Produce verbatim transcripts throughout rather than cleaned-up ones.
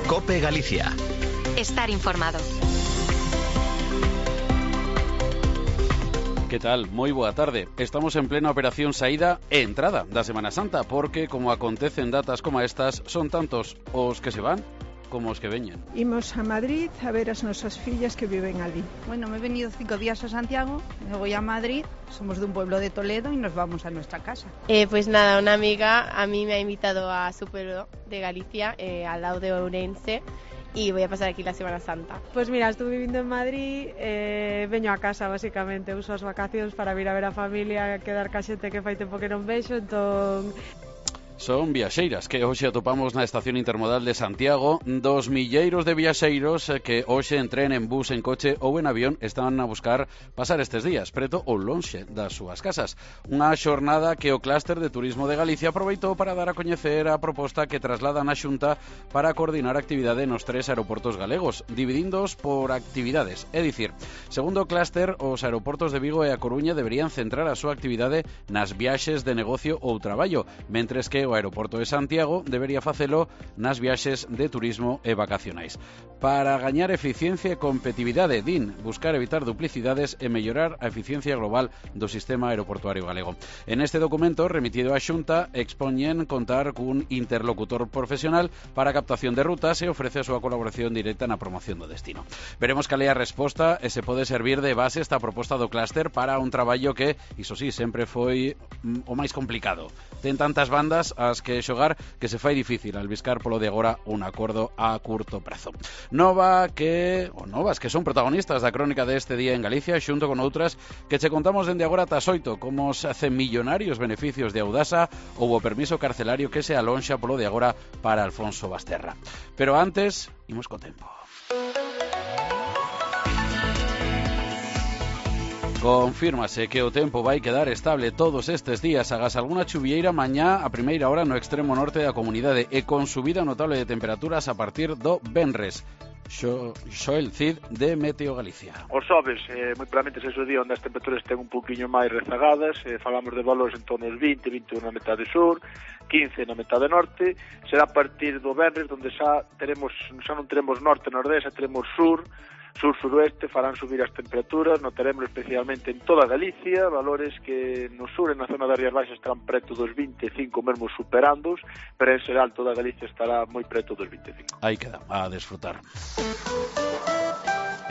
COPE Galicia. Estar informado. Que tal? Moi boa tarde. Estamos en plena operación saída e entrada da Semana Santa, porque, como acontecen datas como estas, son tantos os que se van como os que veñen. Imos a Madrid a ver as nosas fillas que viven ali. Bueno, me he venido cinco días a Santiago, me voy a Madrid, somos de un pueblo de Toledo y nos vamos a nuestra casa. Eh, pues nada, una amiga a mí me ha invitado a su pueblo de Galicia, eh, al lado de Ourense, y voy a pasar aquí la Semana Santa. Pues mira, estuve vivindo en Madrid, eh, veño a casa basicamente, uso as vacacións para vir a ver a familia, quedar ca xente que fai tempo que non vexo, entón... Son viaxeiras que hoxe atopamos na estación intermodal de Santiago. Dos milleiros de viaxeiros que hoxe en tren, en bus, en coche ou en avión están a buscar pasar estes días preto ou lonxe das súas casas. Unha xornada que o Clúster de Turismo de Galicia aproveitou para dar a coñecer a proposta que trasladan a Xunta para coordinar a actividade nos tres aeroportos galegos, dividíndoos por actividades. É dicir, segundo o Clúster, os aeroportos de Vigo e a Coruña deberían centrar a súa actividade nas viaxes de negocio ou traballo, mentres que o aeroporto de Santiago debería facelo nas viaxes de turismo e vacacionais. Para gañar eficiencia e competitividade, din, buscar evitar duplicidades e mellorar a eficiencia global do sistema aeroportuario galego. En este documento remitido á Xunta expoñen contar cun interlocutor profesional para a captación de rutas e ofrece a súa colaboración directa na promoción do destino. Veremos cal é a resposta e se pode servir de base esta proposta do Clúster para un traballo que, iso sí, sempre foi o máis complicado. Ten tantas bandas as que xogar que se fai difícil albiscar polo de agora un acordo a curto prazo. Nova que, ou novas que son protagonistas da crónica deste día en Galicia, xunto con outras que che contamos dende agora ata as oito, como os millonarios beneficios de Audasa ou o permiso carcelario que se alonxa polo de agora para Alfonso Basterra. Pero antes, imos co tempo. Confírmase que o tempo vai quedar estable todos estes días, agás algunha chuvieira mañá a primeira hora no extremo norte da comunidade e con subida notable de temperaturas a partir do venres. Xoel Cid de Meteo Galicia. Os xoves, eh, moi probablemente ese día onde as temperaturas ten un pouquiño máis rezagadas, eh, falamos de valores en torno aos vinte, vinte na metade sur, quince na metade norte, será a partir do venres onde xa teremos, xa non teremos norte, nordeste, xa teremos sur, sur-suroeste, farán subir as temperaturas, notaremos especialmente en toda Galicia, valores que no sur, en na zona das Rías Baixas, estarán preto dos vinte e cinco, mesmo superándoos, pero en xeral toda Galicia estará moi preto dos vinte e cinco. Aí queda, a desfrutar.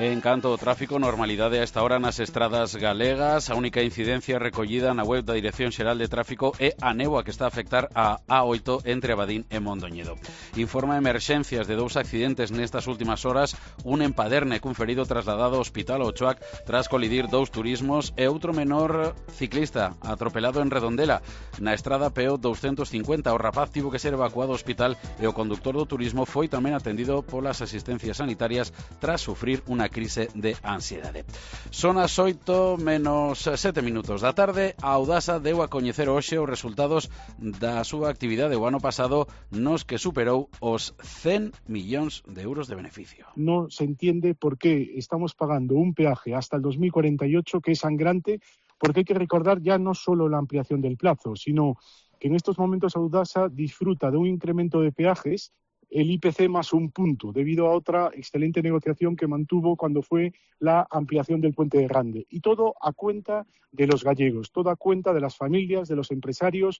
En canto ao tráfico, normalidade a esta hora nas estradas galegas. A única incidencia recollida na web da Dirección Xeral de Tráfico é a néboa que está a afectar a A oito entre Abadín e Mondoñedo. Informa emerxencias de dous accidentes nestas últimas horas, un en Paderne cun ferido trasladado ao Hospital Ochoac tras colidir dous turismos e outro menor ciclista atropelado en Redondela. Na estrada P O doscientos cincuenta o rapaz tivo que ser evacuado ao hospital e o conductor do turismo foi tamén atendido polas asistencias sanitarias tras sufrir unha crise de ansiedade. Son as oito menos sete minutos da tarde. A Audasa deu a coñecer hoxe os resultados da súa actividade o ano pasado, nos que superou os cen millóns de euros de beneficio. No se entiende por qué estamos pagando un peaje hasta el dos mil cuarenta y ocho que es sangrante, porque hay que recordar ya no solo la ampliación del plazo, sino que en estos momentos Audasa disfruta de un incremento de peajes, el I P C más un punto, debido a otra excelente negociación que mantuvo cuando fue la ampliación del Puente de Grande. Y todo a cuenta de los gallegos, todo a cuenta de las familias, de los empresarios.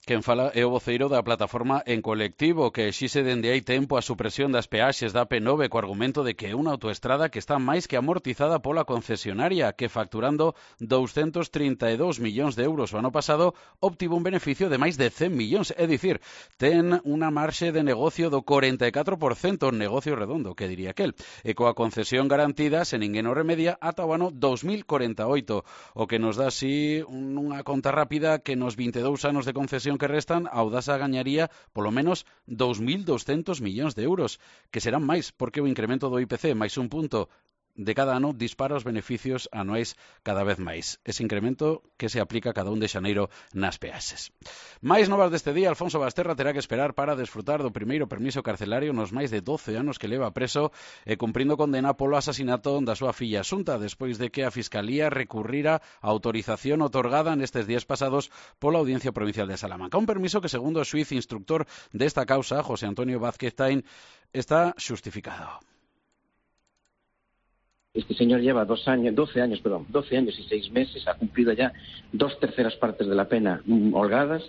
Quen fala é o voceiro da plataforma En Colectivo, que exixe dende hai tempo a supresión das peaxes da P nove co argumento de que é unha autoestrada que está máis que amortizada pola concesionaria, que facturando doscientos trinta e dous millóns de euros o ano pasado obtivo un beneficio de máis de cen millóns, é dicir, ten unha marxe de negocio do cuarenta e catro por cento, negocio redondo, que diría aquel, e coa concesión garantida, se ninguén o remedia, ata o ano dos mil cuarenta e oito, o que nos dá así unha conta rápida que nos vinte e dous anos de concesión que restan, a Audasa gañaría polo menos dos mil doscientos millóns de euros, que serán máis, porque o incremento do I P C máis un punto de cada ano dispara os beneficios anuais cada vez máis. Ese incremento que se aplica cada un de xaneiro nas peaxes. Mais novas deste día, Alfonso Basterra terá que esperar para desfrutar do primeiro permiso carcelario nos máis de doce anos que leva preso e cumprindo condena polo asasinato da súa filla Asunta, despois de que a Fiscalía recurrira a autorización otorgada nestes días pasados pola Audiencia Provincial de Salamanca. Un permiso que, segundo o xuíz instructor desta causa, José Antonio Vázquez Tain, está xustificado. Este señor lleva dos años, doce años, perdón, doce años y seis meses, ha cumplido ya dos terceras partes de la pena mm, holgadas.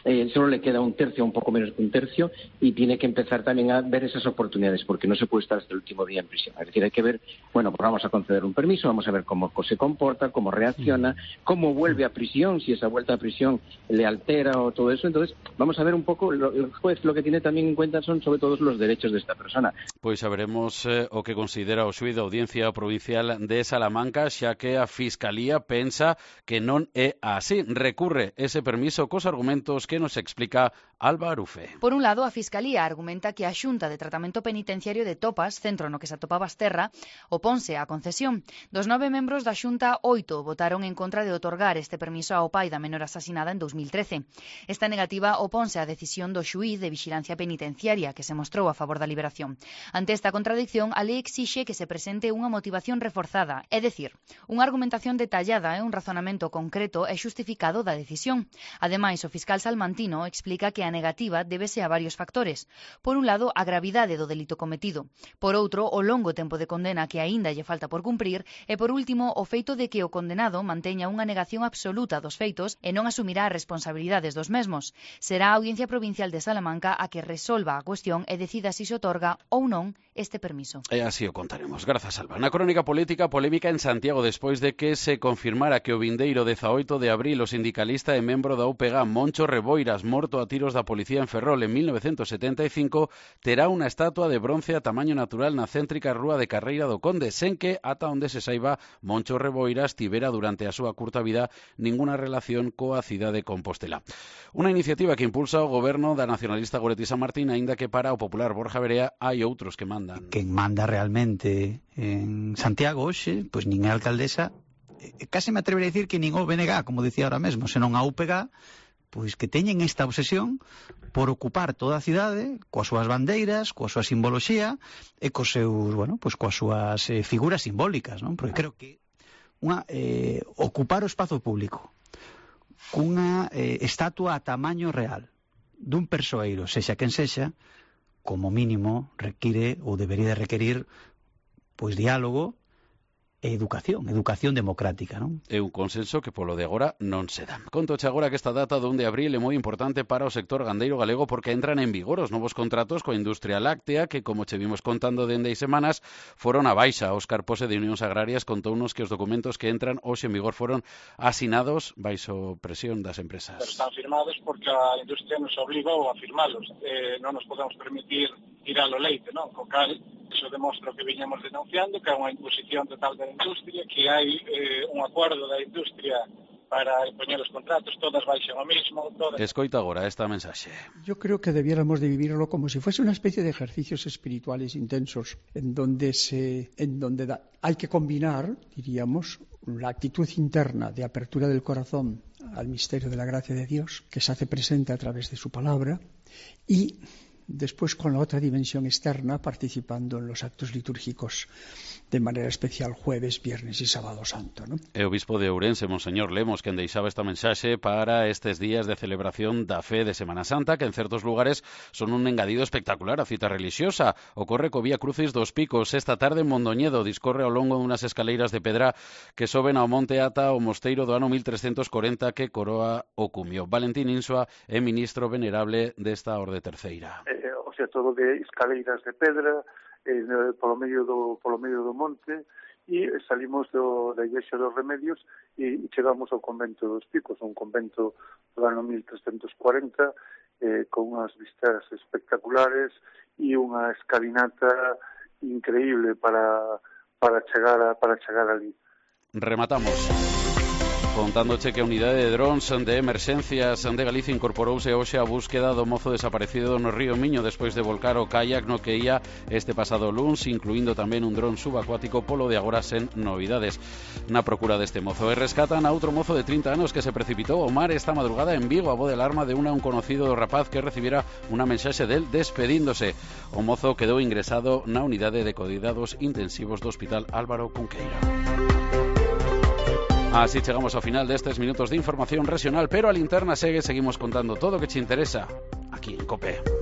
Eh, solo le queda un tercio, un poco menos que un tercio, y tiene que empezar también a ver esas oportunidades, porque no se puede estar hasta el último día en prisión. Es decir, hay que ver, bueno, pues vamos a conceder un permiso, vamos a ver cómo se comporta, cómo reacciona, cómo vuelve a prisión, si esa vuelta a prisión le altera o todo eso. Entonces, vamos a ver un poco, lo, el juez lo que tiene también en cuenta son sobre todo los derechos de esta persona. Pois saberemos eh, o que considera o xuíz da Audiencia Provincial de Salamanca, xa que a Fiscalía pensa que non é así. Recurre ese permiso cos argumentos que nos explica Alba Arufe. Por un lado, a Fiscalía argumenta que a Xunta de Tratamento Penitenciario de Topas, centro no que se atopa Basterra, oponse á concesión. Dos nove membros da Xunta, oito votaron en contra de otorgar este permiso ao pai da menor asasinada en dos mil trece. Esta negativa oponse á decisión do xuíz de Vixilancia Penitenciaria, que se mostrou a favor da liberación. Ante esta contradicción, a lei exixe que se presente unha motivación reforzada, é dicir, unha argumentación detallada e un razonamento concreto e xustificado da decisión. Ademais, o fiscal salmantino explica que a negativa débese a varios factores. Por un lado, a gravidade do delito cometido. Por outro, o longo tempo de condena que aínda lle falta por cumprir. E por último, o feito de que o condenado manteña unha negación absoluta dos feitos e non asumirá as responsabilidades dos mesmos. Será a Audiencia Provincial de Salamanca a que resolva a cuestión e decida se se otorga ou non este permiso. E así o contaremos. Grazas, Alba. Na crónica política, polémica en Santiago despois de que se confirmara que o vindeiro dezaoito de abril o sindicalista e membro da U P G Moncho Reboiras, morto a tiros da policía en Ferrol en mil novecientos setenta e cinco, terá unha estatua de bronce a tamaño natural na céntrica rúa de Carreira do Conde, sen que, ata onde se saiba, Moncho Reboiras tivera durante a súa curta vida ninguna relación coa cidade de Compostela. Unha iniciativa que impulsa o goberno da nacionalista Goretti San Martín, aínda que para o popular Borja Verea hai outros que mandan. Quen manda realmente en Santiago hoxe, pois nin é a alcaldesa, case me atrevería a dicir que nin o B N G, como dicía ahora mesmo, senón a U P G, pois que teñen esta obsesión por ocupar toda a cidade coas súas bandeiras, coa súa simboloxía e cos seus, bueno, pois coas súas eh, figuras simbólicas, non? Porque creo que unha, eh, ocupar o espazo público cunha eh, estatua a tamaño real dun persoeiro, sexa quen sexa, como mínimo require ou debería de requerir pois diálogo e educación, educación democrática, non? É un consenso que polo de agora non se dá. Contoche agora que esta data do un de abril é moi importante para o sector gandeiro galego porque entran en vigor os novos contratos coa industria láctea que, como che vimos contando dende hai semanas, foron a baixa. Óscar Pose de Unións Agrarias contounos que os documentos que entran hoxe en vigor foron asinados baixo presión das empresas. Pero están firmados porque a industria nos obligou a firmalos. Eh, non nos podemos permitir tirar o leite, non? Co cal, iso demostra o que viñamos denunciando, que é unha imposición total da industria, que hai eh, un acordo da industria para poñer os contratos, todas baixan o mismo. Todas... Escoita agora esta mensaxe. Yo creo que debiéramos de vivirlo como si fuese una especie de ejercicios espirituales intensos, en donde, se, en donde da, hay que combinar, diríamos, la actitud interna de apertura del corazón al misterio de la gracia de Dios, que se hace presente a través de su palabra, y después con la otra dimensión externa, participando en los actos litúrgicos de manera especial jueves, viernes y sábado santo, ¿no? E o bispo de Ourense, Monseñor Lemos, quen deixaba esta mensaxe para estes días de celebración da fe de Semana Santa, que en certos lugares son un engadido espectacular a cita religiosa. Ocorre co Vía Crucis dos Picos esta tarde en Mondoñedo, discorre ao longo dunhas escaleiras de pedra que soben ao monte ata o mosteiro do ano mil trescentos corenta que coroa o cumio. Valentín Insua é ministro venerable desta orde terceira. Eh, o sea, todo de escaleiras de pedra, eh, polo medio do polo medio do monte, e salimos do, da Iglesia dos Remedios e, e chegamos ao convento dos Picos, un convento do ano mil trescentos cuarenta, eh, con unhas vistas espectaculares e unha escalinata increíble para para chegar a, para chegar ali. Rematamos. Contándoche que a unidade de drones de emerxencias de Galicia incorporouse hoxe a búsqueda do mozo desaparecido no río Miño despois de volcar o kayak no que ia este pasado luns, incluindo tamén un dron subacuático, polo de agora sen novidades na procura deste mozo. E rescatan a outro mozo de trinta anos que se precipitou ao mar esta madrugada en Vigo a voz de alarma de unha un conocido rapaz que recibiera unha mensaxe del despedíndose. O mozo quedou ingresado na unidade de cuidados intensivos do Hospital Álvaro Cunqueira. Así chegamos ao final destes minutos de información regional, pero a linterna segue, seguimos contando todo o que che interesa aquí en COPE.